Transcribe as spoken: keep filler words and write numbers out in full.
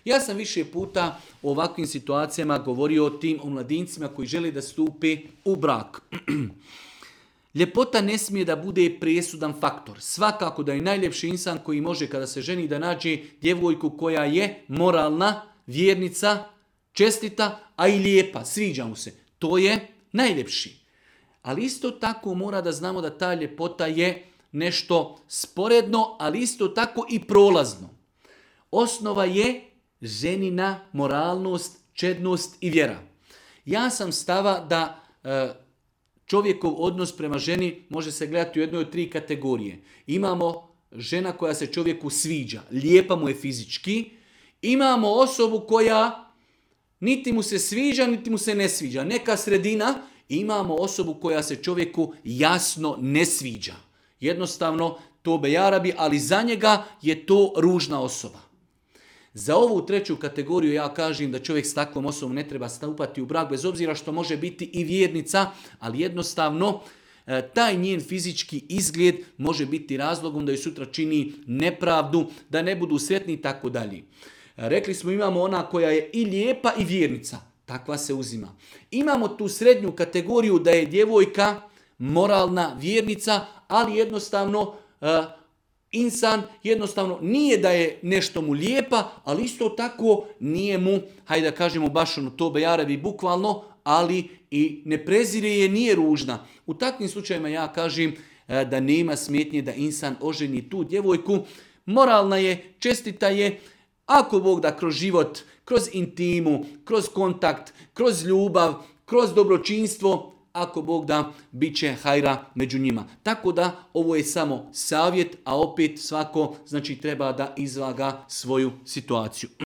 Ja sam više puta u ovakvim situacijama govorio o tim omladincima koji žele da stupe u brak. Ljepota ne smije da bude presudan faktor. Svakako da je najljepši insan koji može kada se ženi da nađe djevojku koja je moralna, vjernica, čestita, a i lijepa, sviđa mu se. To je najljepši. Ali isto tako mora da znamo da ta ljepota je nešto sporedno, ali isto tako i prolazno. Osnova je ženina moralnost, čednost i vjera. Ja sam stava da e, čovjekov odnos prema ženi može se gledati u jednoj od tri kategorije. Imamo žena koja se čovjeku sviđa, lijepa mu je fizički. Imamo osobu koja niti mu se sviđa, niti mu se ne sviđa. Neka sredina. Imamo osobu koja se čovjeku jasno ne sviđa. Jednostavno, to bejarabi, ali za njega je to ružna osoba. Za ovu treću kategoriju ja kažem da čovjek s takvom osobom ne treba stupati u brak, bez obzira što može biti i vjernica, ali jednostavno taj njen fizički izgled može biti razlogom da joj sutra čini nepravdu, da ne budu sretni i tako dalje. Rekli smo imamo ona koja je i lijepa i vjernica, takva se uzima. Imamo tu srednju kategoriju da je djevojka moralna vjernica, ali jednostavno uh, insan jednostavno nije da je nešto mu lijepa, ali isto tako nije mu, hajde da kažemo baš ono to bejarabi bukvalno, ali i ne prezire je, nije ružna. U takvim slučajima ja kažem uh, da nema smetnje da insan oženi tu djevojku. Moralna je, čestita je, ako Bog da kroz život, kroz intimu, kroz kontakt, kroz ljubav, kroz dobročinstvo, ako Bog da, bit će hajra među njima. Tako da ovo je samo savjet, a opet svako znači treba da izvaga svoju situaciju.